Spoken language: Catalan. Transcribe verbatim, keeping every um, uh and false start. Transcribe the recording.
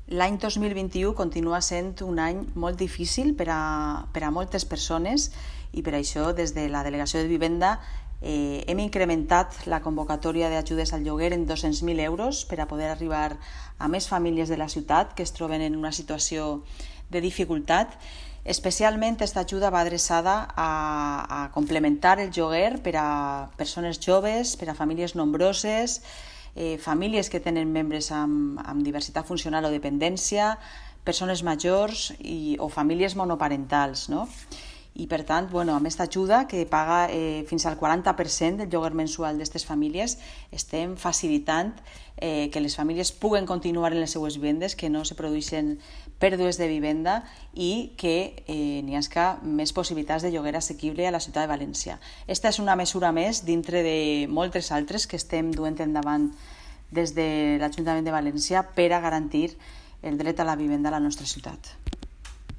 L'any dos mil vint-i-u continua sent un any molt difícil per a, per a moltes persones i per això des de la Delegació de Vivenda eh, hem incrementat la convocatòria d'ajudes al lloguer en dos-cents mil euros per a poder arribar a més famílies de la ciutat que es troben en una situació de dificultat. Especialment aquesta ajuda va adreçada a, a complementar el lloguer per a persones joves, per a famílies nombroses, eh, famílies que tenen membres amb, amb diversitat funcional o dependència, persones majors i, o famílies monoparentals, no? I per tant, bueno, amb aquesta ajuda que paga eh, fins al quaranta per cent del lloguer mensual d'aquestes famílies, estem facilitant eh, que les famílies puguen continuar en les seues vivendes, que no se produeixen pèrdues de vivenda i que eh, n'hi hagi més possibilitats de lloguer assequible a la ciutat de València. Esta és una mesura més dintre de moltes altres que estem duent endavant des de l'Ajuntament de València per a garantir el dret a la vivenda a la nostra ciutat.